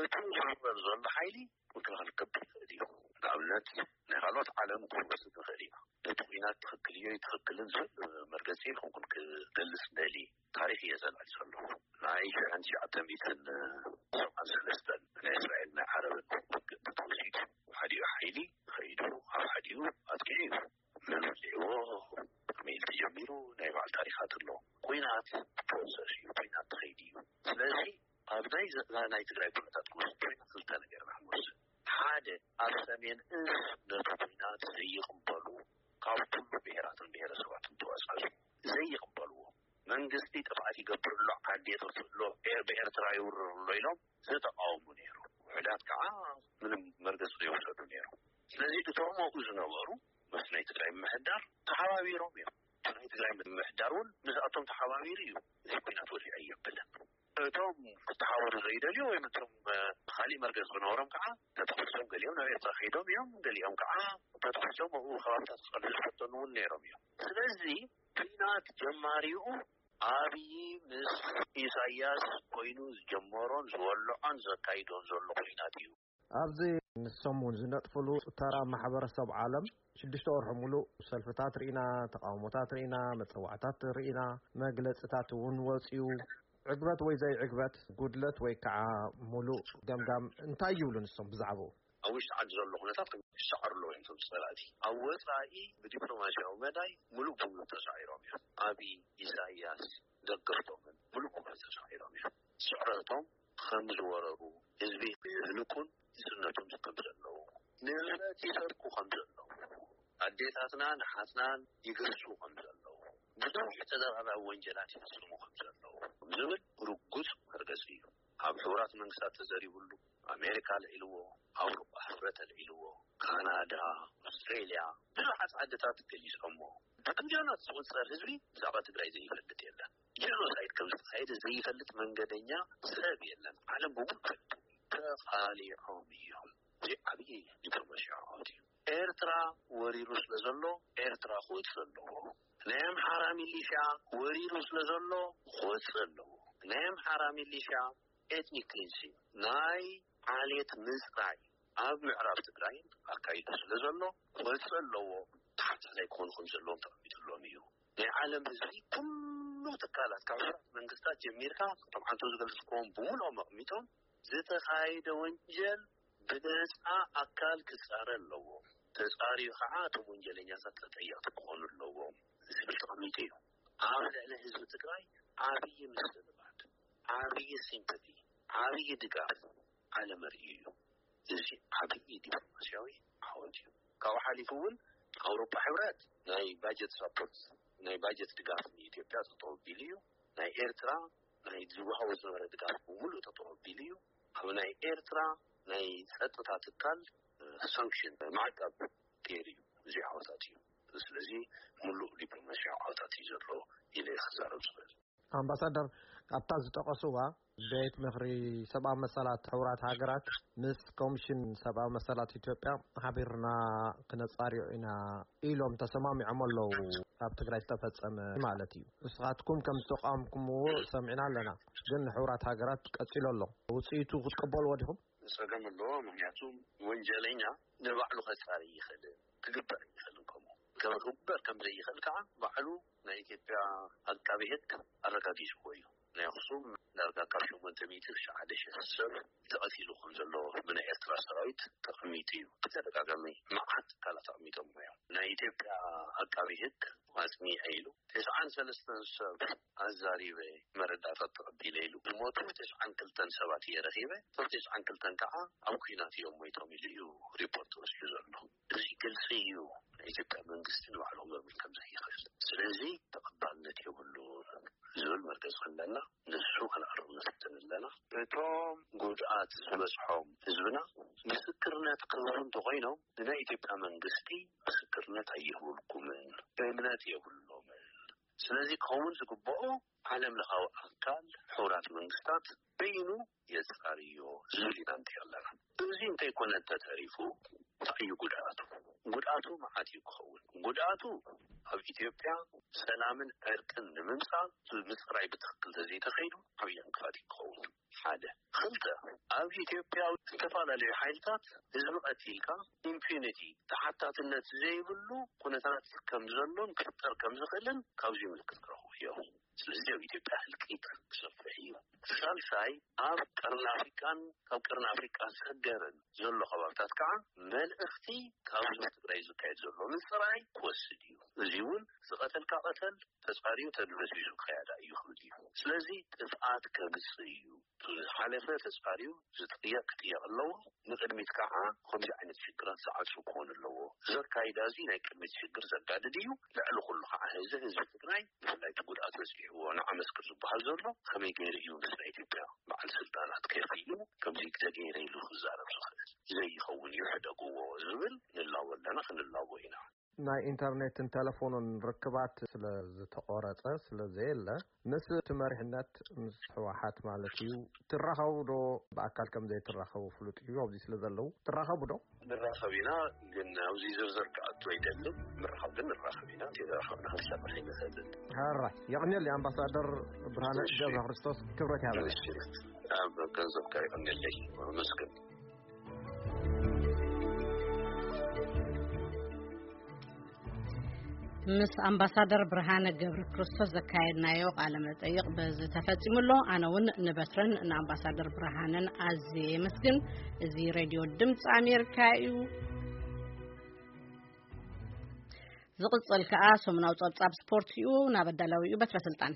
እቲ ዝውረር ዘሎ ሓይሊ ምክልኻል ክገብር ይኽእል እዩ። ንኣብነት፣ ናይ ካልኦት ዓለም ክንወስድ ንኽእል ኢና። ነቲ ኲናት ትኽክል እዩ ኣይትኽክልን ዝብል መርገጺ ንክንኩን ክገልጽ እንደሊ ታሪኽ እየ ዘላሊ ዘለኹ። ናይ ሽሕን ትሽዓተ ሚእትን ሰብዓን ሰለስተን ናይ እስራኤል ናይ ዓረብን ውግእ እንተተወሲዱ፣ ሓዲኡ ሓይሊ ኸይዱ ኣብ ሓዲኡ ኣጥቂዑ እዩ። መን ወዲዕዎ፣ ከመይ ኢሉ ተጀሚሩ፣ ናይ ባዕሉ ታሪኻት ኣለዎ። ኲናት ፕሮሰስ እዩ፣ ኲናት ትኸይድ እዩ። ስለዚ ኣብ ናይ ዘ-፣ ናይ ትግራይ ኩነታት ክንወስድ ኮይና ክልተ ነገር ኢና ክንወስድ። ሓደ፣ ኣብ ሰሜን እዝ ነቲ ኲናት ዘይቕበሉ ካብ ኩሉ ብሄራትን ብሄረሰባትን ተዋሳሱ ዘይቕበልዎ፣ መንግስቲ ጥፍኣት ይገብር ኣሎ፣ ዓዲ የጥፍእ ኣሎ፣ ኤር- ብኤርትራ ይውርር ኣሎ ኢሎም ዝተቃወሙ ነይሩ። ውሕዳት ከዓ ምንም መርገፂ ዘይወሰዱ ነይሩ። ስለዚ እቶም ኣብኡ ዝነበሩ ምስ ናይ ትግራይ ምምሕዳር ተሓባቢሮም እዮም። እቲ ናይ ትግራይ ምምሕዳር እውን ምስኣቶም ተሓባቢሩ እዩ። እዚ ኩናት ወዲዐ የብልን። እቶም ክተሓበሩ ዘይደልዩ ወይ እቶም እ፣ ካሊእ መርገፂ ዝነበሮም ከዓ ተተኩሶም ገሊኦም ናብ ኤርትራ ከይዶም እዮም። ገሊኦም ከዓ ተተኩሶም ኣብኡ ከባብታት ክፀንሑ ዝፈተኑ እውን ነይሮም እዮም። ስለዚ ኩናት ጀማሪኡ ኣብይ ምስ ኢሳያስ ኮይኑ ዝጀመሮን ዝወልዖን ዘካይዶን ዘሎ ኩናት እዩ። ኣብዚ ንሶም እውን ዝነጥፍሉ ተራ ማሕበረሰብ ዓለም ሽዱሽተ ወርሒ ሙሉእ ሰልፍታት ርኢና፣ ተቃውሞታት ርኢና፣ መፀዋዕታት ርኢና፣ መግለፅታት እውን ወፂኡ። ዕግበት ወይ ዘይዕግበት፣ ጉድለት ወይ ከዓ ሙሉእ ገምጋም እንታይ ይብሉ ንሶም ብዛዕባኡ? ኣብ ውሽጢ ዓዲ ዘሎ ኩነታት ክሻዓሩ ኣለዎ እዮም። እቶም ፀላእቲ ኣብ ወፃኢ ብዲፕሎማሲያዊ መዳይ ሙሉእ ብሙሉእ ተሳዒሮም እዮም። ኣብይ፣ ኢሳያስ፣ ደገፍቶምን ሙሉእ ብሙሉእ ተሳዒሮም እዮም። ስዕረቶም ከም ዝወረሩ፣ ህዝቢ የህልቁን ዝፅነቱን ከም ዘለዉ፣ ንብረት ይሰርቁ ከም ዘለዉ፣ ኣዴታትናን ኣሓትናን ይገስጹ ከም ዘለዉ፣ ብዙሕ ተደራራቢ ወንጀላት ይፍጽሙ ከም ዘለዉ ዝብል ርጉጽ መርገጺ እዩ። ኣብ ሕቡራት መንግስታት ተዘሪቡሉ፣ ኣሜሪካ ኣልዒልዎ፣ ኣውሮፓ ሕብረት ኣልዒልዎ፣ ካናዳ፣ ኣውስትሬልያ፣ ብዙሓት ዓድታት ገሊጾሞ። ብሚልዮናት ዝቑጸር ህዝቢ ብዛዕባ ትግራይ ዘይፈልጥ የለን። ጄኖሳይድ ከም ዝተኻየደ ዘይፈልጥ መንገደኛ ሰብ የለን። ዓለም ብምሉእ ፈልጡ ተቓሊዖም እዮም። እዚ ዓብዪ ዲፕሎማሲያዊ ዓወት እዩ። ኤርትራ ወሪሩ ስለ ዘሎ ኤርትራ ክወፅእ ኣለዎ። ናይ ኣምሓራ ሚሊሻ ወሪሩ ስለ ዘሎ ክወፅእ ኣለዎ። ናይ ኣምሓራ ሚሊሻ ኤትኒክ ክሊንሲንግ፣ ናይ ዓሌት ምፅራይ ኣብ ምዕራብ ትግራይ ኣካይዱ ስለ ዘሎ ክወፅእ ኣለዎ። ተሓታታይ ክኾኑ ከም ዘለዎም ተቐሚጥሎም እዩ። ናይ ዓለም ህዝቢ ኩሉ ትካላት ካብ ሕብራት መንግስታት ጀሚርካ ከም ዓንቶ ዝገልፅክዎም ብምልኦም ኣቕሚጦም ዝተኻየደ ወንጀል ብነፃ ኣካል ክፃረ ኣለዎ። ተፃሪዩ ከዓ እቶም ወንጀለኛታት ተጠየቕቲ ክኾኑ ኣለዎም ዝብል ተቐሚጡ እዩ። ኣብ ልዕሊ ህዝቢ ትግራይ ዓብዪ ምስልባት፣ ዓብዪ ሲምፐቲ፣ ዓብዪ ድጋፍ ዓለም ኣርእዩ እዩ። እዚ ዓብዪ ዲፕሎማሲያዊ ዓወት እዩ። ካብኡ ሓሊፉ እውን ኣውሮፓ ሕብረት ናይ ባጀት ሳፖርት፣ ናይ ባጀት ድጋፍ ንኢትዮጵያ ጠጠው ኣቢሉ እዩ። ናይ ኤርትራ ናይ ዝወሃቦ ዝነበረ ድጋፍ ብምሉእ ጠጠው ኣቢሉ እዩ። ኣብ ናይ ኤርትራ ናይ ጸጥታ ትካል ሳንክሽን ማዕቀብ ገይሩ እዩ። እዚ ዓወታት እዩ። ስለዚ ሙሉእ ዲፕሎማሲያዊ ዓወታት እዩ ዘሎ ኢለ ክዛረብ ዝኽእል። ኣምባሳደር፣ ኣብታ ዝጠቐስዋ ቤት ምኽሪ ሰብኣዊ መሰላት ሕቡራት ሃገራት ምስ ኮሚሽን ሰብኣዊ መሰላት ኢትዮጵያ ሓቢርና ክነጻርዮ ኢና ኢሎም ተሰማሚዖም ኣለዉ። ኣብ ትግራይ ዝተፈጸመ ማለት እዩ። ንስኻትኩም ከም ዝተቃወምኩምዎ ሰሚዕና ኣለና፣ ግን ንሕቡራት ሃገራት ቀጺሉ ኣሎ። ውጽኢቱ ክትቅበልዎ ዲኹም? ጸገም ኣለዎ። ምክንያቱ ወንጀለኛ ንባዕሉ ከጻሪ ይኽእል፣ ክግበር ይኽእል። ከምኡ ከም ክግበር ከም ዘይኽእል ከዓ ባዕሉ ናይ ኢትዮጵያ ኣቃቢ ሕግ ኣረጋጊጽዎ እዩ። ናይ ኣኽሱም ዳርጋ ካብ ሸሞንተ ሚእቲ ክሻዕ ሓደ ሺሕ ሰብ ተቐቲሉ ከም ዘሎ ብናይ ኤርትራ ሰራዊት ተቐሚጡ እዩ። ብተደጋጋሚ መዓት ትካላት ኣቕሚጦም እዮም። ናይ ኢትዮጵያ ኣቃቢ ሕግ ኣጽኒዐ ኢሉ ተስዓን ሰለስተን ሰብ ኣዛሪበ መረዳእታት ተቐቢለ ኢሉ ዝሞቱ ተስዓን ክልተን ሰባት እየ ረኺበ። እቶም ተስዓን ክልተን ከዓ ኣብ ኲናት እዮም ሞይቶም ኢሉ እዩ ሪፖርት ወሲዱ ዘሎ። እዚ ግልፂ እዩ። ናይ ኢትዮጵያ መንግስቲ ንባዕሉ ክገብር ከም ዘይኽእል። ስለዚ ተቐባልነት የብሉን ዝብል መርገፂ ኣለና። ንሱ ከነዕርብ ንፍትን ኣለና። እቶም ጉድኣት ዝበፅሖም ህዝብና ምስክርነት ክህቡ እንተኾይኖም ንናይ ኢትዮጵያ መንግስቲ ምስክርነት ኣይህቡልኩምን፣ እምነት የብሎምን። ስለዚ ክኸውን ዝግብኦ ዓለም ለኻዊ ኣካል ሕቡራት መንግስታት በይኑ የጻርዮ ዝብል ኢና ንርኢ ኣለና። እዚ እንተይኮነ እንተተሪፉ እንታይ እዩ ጉድኣቱ? ጉድኣቱ መዓት እዩ ክኸውን። ጉድኣቱ ኣብ ኢትዮጵያ ሰላምን ዕርቅን ንምምጻእ ምጽራይ ብትኽክል ተዘይተኸይዱ ዓብዪ ዕንቅፋት እዩ ክኸውን። ሓደ። ክልተ፣ ኣብ ኢትዮጵያ ዝተፈላለዩ ሓይልታት ህዝቢ ቀቲልካ ኢምፒዩኒቲ፣ ተሓታትነት ዘይብሉ ኩነታት ከም ዘሎን ክፍጠር ከም ዝኽእልን ካብዚ ምልክት ክረኽቡ እዮም። ስለዚ ኣብ ኢትዮጵያ ህልቂት ክሰፍሕ እዩ። ሳልሳይ፣ ኣብ ቀርኒ ኣፍሪቃን ካብ ቀርኒ ኣፍሪቃ ሰገርን ዘሎ ከባብታት ከዓ መልእኽቲ ካብዚ ኣብ ትግራይ ዝካየድ ዘሎ ምፅራይ ክወስድ እዩ። እዚ እውን ዝቐተልካ ቀተል ተጻርዩ ተድበስቢሱ ክኸያዳ እዩ ክብል እዩ። ስለዚ ጥፍኣት ከምጽእ እዩ። ዝሓለፈ ተጻርዩ ዝጥየቕ ክጥየቕ ኣለዎ። ንቕድሚት ከዓ ከምዚ ዓይነት ሽግራት ዝዓጹ ክኾን ኣለዎ። እዚ ኣካይዳ እዚ ናይ ቅድሚት ሽግር ዘጋድድ እዩ። ልዕሊ ኩሉ ከዓ ህዚ ህዝቢ ትግራይ ብፍላይ እቲ ጉድኣት በፂሕዎ ንዓመስክር ዝበሃል ዘሎ ከመይ ገይሩ እዩ ምስ ናይ ኢትዮጵያ በዓል ስልጣናት ከፊሉ ከምዚ ተገይረ ኢሉ ክዛረብ ዝኽእል? ዘይኸውን እዩ ሕደግዎ ዝብል ንላቦ ኣለና፣ ክንላቦ ኢና። ናይ ኢንተርኔትን ቴሌፎንን ርክባት ስለ ዝተቆረጸ፣ ስለ ዘየለ፣ ምስ እቲ መሪሕነት፣ ምስ ህወሓት ማለት እዩ፣ ትራኸቡ ዶ? ብኣካል ከም ዘይትራኸቡ ፍሉጥ እዩ፣ ኣብዚ ስለ ዘለዉ። ትራኸቡ ዶ? ንራኸብ ኢና፣ ግን ኣብዚ ዝርዝር ክኣቱ ኣይደልን። ምርኻብ ግን ንራኸብ ኢና፣ ተራኸብና ክንሰርሕ ኣይንኽእልን። ሕራይ፣ የቕንየለይ ኣምባሳደር ብርሃነ እሺ። ገብረ ክርስቶስ፣ ክብረት ይሃበለይ። እሺ፣ ኣብ ገንዘብካ የቕንየለይ፣ ኣመስግን። ምስ ኣምባሳደር ብርሃነ ገብረ ክርስቶስ ዘካየድናዮ ቃለ መጠይቕ በዚ ተፈጺሙ ኣሎ። ኣነ እውን ንበትረን ንኣምባሳደር ብርሃነን ኣዝየ የመስግን። እዚ ሬድዮ ድምፂ ኣሜሪካ እዩ። ዝቕጽል ከኣ ሰሙናዊ ጸብጻብ ስፖርት እዩ። ናብ ኣዳላዊኡ በትረ ስልጣን።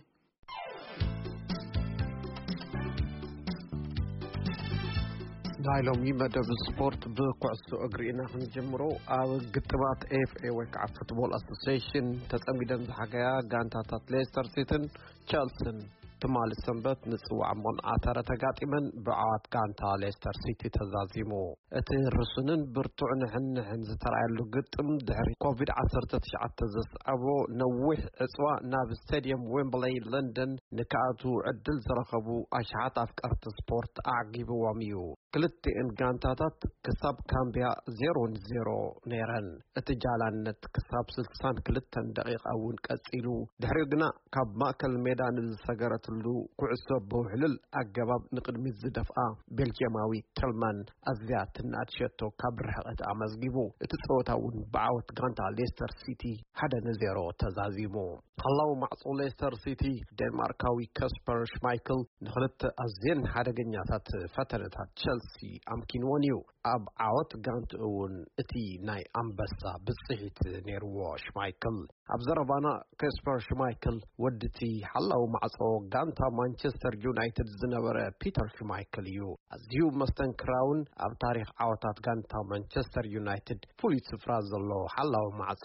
ናይ ሎሚ መደብ ስፖርት ብኩዕሶ እግሪ ኢና ክንጅምሮ። ኣብ ግጥማት ኤፍ ኤ ወይ ከዓ ፉትቦል ኣሶሲሽን ተጸሚደን ዝሓገያ ጋንታታት ሌስተር ሲቲን ቸልሲን ትማሊ ሰንበት ንጽዋዕ መቆናዕተረ ተጋጢመን ብዓወት ጋንታ ሌስተር ሲቲ ተዛዚሙ። እቲ ርሱንን ብርቱዕ ንሕንሕን ዝተራእየሉ ግጥም ድሕሪ ኮቪድ ዓሰርተ ትሽዓተ ዘስዓቦ ነዊሕ ዕጽዋ ናብ ስቴድየም ዌምብለይ ለንደን ንክኣትዉ ዕድል ዝረኸቡ ኣሽሓት ኣፍቀርቲ ስፖርት ኣዕጊብዎም እዩ። ክልቲኤን ጋንታታት ክሳብ ካምብያ ዜሮ ንዜሮ ነይረን። እቲ ጃላነት ክሳብ ስልሳን ክልተን ደቂቓ እውን ቀጺሉ። ድሕሪኡ ግና ካብ ማእከል ሜዳ ንዝሰገረትሉ ኩዕሶ ብውሕልል ኣገባብ ንቕድሚት ዝደፍኣ ቤልጅየማዊ ተልማን ኣዝያ ትናኣድ ሸቶ ካብ ርሕቐት ኣመዝጊቡ። እቲ ጸወታ እውን ብዓወት ጋንታ ሌስተር ሲቲ ሓደ ንዜሮ ተዛዚሙ። ሓላው ማዕጾ ሌስተር ሲቲ ዴንማርካዊ ከስፐር ሽማይክል ንኽልተ ኣዝየን ሓደገኛታት ፈተነታት ቸልሲ ኣምኪንዎን እዩ። ኣብ ዓወት ጋንትኡ እውን እቲ ናይ ኣንበሳ ብጽሒት ነይርዎ ሽማይክል። ኣብ ዘረባና ከስፐር ሽማይክል ወድቲ ሓላው ማዕጾ ጋንታ ማንቸስተር ዩናይትድ ዝነበረ ፒተር ሽማይክል እዩ። ኣዝዩ መስተንክራውን ኣብ ታሪኽ ዓወታት ጋንታ ማንቸስተር ዩናይትድ ፍሉይ ስፍራ ዘለዎ ሓላው ማዕጾ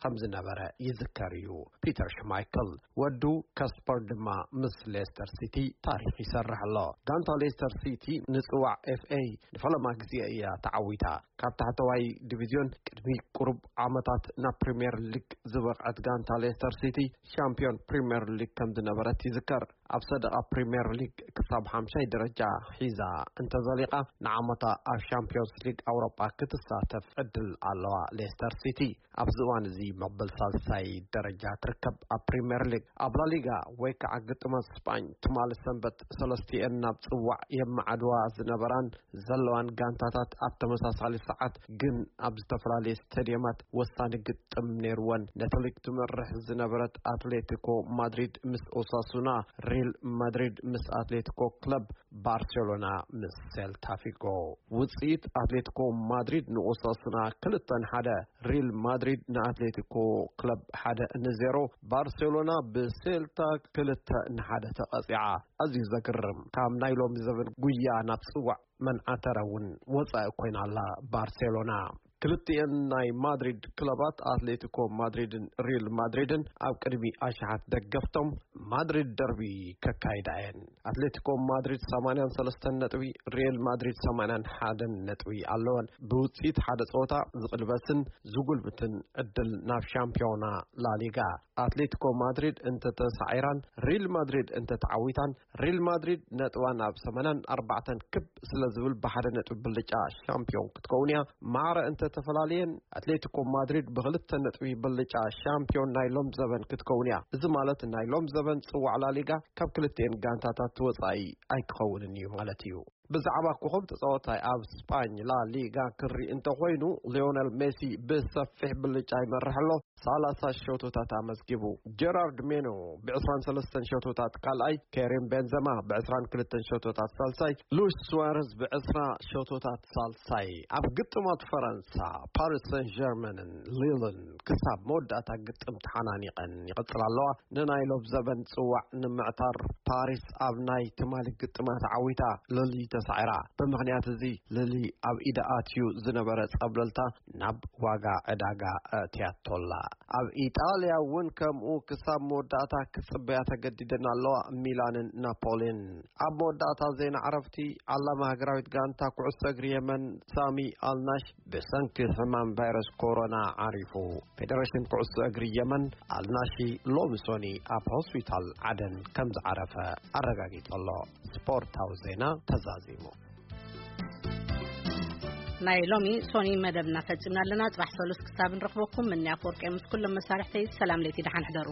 ከም ዝነበረ ይዝከር እዩ። ፒተር ሽማይክል ወዱ ከስፐር ድማ ምስ ሌስተር ሲቲ ታሪኽ ይሰርሕ ኣሎ። ጋንታ ሌስተር ሲቲ ንጽዋዕ ኤፍ ኤ ንፈለማ ግዜ እያ ተዓዊታ። ካብ ታሕተዋይ ዲቪዝዮን ቅድሚ ቁሩብ ዓመታት ናብ ፕሪምየር ሊግ ዝበቕዐት ጋንታ ሌስተር ሲቲ ሻምፒዮን ፕሪምየር ሊግ ከም ዝነበረት ይዝከር። ኣብ ሰደቓ ፕሪምየር ሊግ ክሳብ ሓምሻይ ደረጃ ሒዛ እንተዘሊቓ ንዓመታ ኣብ ሻምፒዮንስ ሊግ ኣውሮጳ ክትሳተፍ ዕድል ኣለዋ። ሌስተር ሲቲ ኣብዚ እዋን እዚ መበል ሳልሳይ ደረጃ ትርከብ። ኣብ ፕሪምየር ሊግ፣ ኣብ ላሊጋ ወይ ከዓ ግጥማት ስጳኝ ትማሊ ሰንበት ሰለስቲኤን ናብ ጽዋዕ የመዓድዋ ዝነበራን ዘለዋን ጋንታታት ኣብ ተመሳሳሊ ሰዓት ግን ኣብ ዝተፈላለየ ስቴድየማት ወሳኒ ግጥም ነይርወን። ነቲ ሊግ ትመርሕ ዝነበረት ኣትሌቲኮ ማድሪድ ምስ ኦሳሱና፣ ሪል ማድሪድ ምስ ኣትሌቲኮ ክለብ ባርሴሎና ምስ ሴልታ ፊጎ። ውጽኢት ኣትሌቲኮ ማድሪድ ንኦሳሱና ክልተ ንሓደ፣ ሪል ማድሪድ ንኣትሌቲኮ ክለብ ሓደ ንዜሮ፣ ባርሴሎና ብሴልታ ክልተ ንሓደ ተቐጺዓ። ኣዝዩ ዘግርም፣ ካብ ናይ ሎሚ ዘበን ጉያ ናብ ጽዋዕ መን ዓተረ እውን ወጻኢ ኮይና ኣላ ባርሴሎና። ክልቲኤን ናይ ማድሪድ ክለባት ኣትሌቲኮ ማድሪድን ሪል ማድሪድን ኣብ ቅድሚ ኣሽሓት ደገፍቶም ማድሪድ ደርቢ ከካይዳ እየን። ኣትሌቲኮ ማድሪድ ሰማንያን ሰለስተን ነጥቢ፣ ሪል ማድሪድ ሰማንያን ሓደን ነጥቢ ኣለወን። ብውጽኢት ሓደ ጸወታ ዝቕልበስን ዝጉልብትን ዕድል ናብ ሻምፒዮና ላሊጋ። ኣትሌቲኮ ማድሪድ እንተተሳዒራን ሪል ማድሪድ እንተተዓዊታን፣ ሪል ማድሪድ ነጥባ ናብ ሰማንያን ኣርባዕተን ክብ ስለ ዝብል ብሓደ ነጥቢ ብልጫ ሻምፒዮን ክትከውን እያ። ማዕረ እንተተፈላለየን ኣትሌቲኮ ማድሪድ ብክልተ ነጥቢ ብልጫ ሻምፒዮን ናይ ሎም ዘበን ክትከውን እያ። እዚ ማለት ናይ ሎም ዘበን ጽዋዕ ላሊጋ ካብ ክልቲኤን ጋንታታት ወጻኢ ኣይክኸውንን እዩ ማለት እዩ። ብዛዕባ ኮኸብ ተጻዋታይ ኣብ ስጳኝ ላሊጋ ክርኢ እንተኾይኑ፣ ሊዮነል ሜሲ ብሰፊሕ ብልጫ ይመርሕ ኣሎ። ሰላሳ ሸቶታት ኣመዝጊቡ። ጀራርድ ሜኖ ብ ዕስራን ሰለስተን ሸቶታት ካልኣይ፣ ኬሪም ቤንዘማ ብ ዕስራን ክልተን ሸቶታት ሳልሳይ፣ ሉዊስ ሱዋረዝ ብ ዕስራ ሸቶታት ሳልሳይ። ኣብ ግጥማት ፈረንሳ፣ ፓሪስ ሰን ጀርመንን ሊልን ክሳብ መወዳእታ ግጥም ተሓናኒቐን ይቕጽላ ኣለዋ። ንናይ ሎብ ዘበን ጽዋዕ ንምዕታር ፓሪስ ኣብ ናይ ትማሊ ግጥማት ዓዊታ ሎሊ ተሳዒራ። ብምኽንያት እዚ ሎሊ ኣብ ኢዳ ኣትዩ ዝነበረ ጸብለልታ ናብ ዋጋ ዕዳጋ ኣእትያቶላ። ኣብ ኢጣልያ እውን ከምኡ ክሳብ መወዳእታ ክጽበያ ተገዲደን ኣለዋ፣ ሚላንን ናፖሊን። ኣብ መወዳእታ ዜና ዕረፍቲ፣ ዓላማ ሃገራዊት ጋንታ ኩዕሶ እግሪ የመን ሳሚ ኣልናሽ ብሰንኪ ሕማም ቫይረስ ኮሮና ዓሪፉ። ፌደሬሽን ኩዕሶ እግሪ የመን ኣልናሺ ሎሚ ሶኒ ኣብ ሆስፒታል ዓደን ከም ዝዓረፈ ኣረጋጊጹ ኣሎ። ስፖርታዊ ዜና ተዛዚሙ። ናይ ሎሚ ሶኒ መደብና ፈጺምና ኣለና። ጽባሕ ሰሉስ ክሳብ ንረኽበኩም፣ ምንያ ኣፈወርቂ ምስ ኩሎም መሳርሕተይ ሰላም ለይቲ፣ ደሓን ሕደሩ።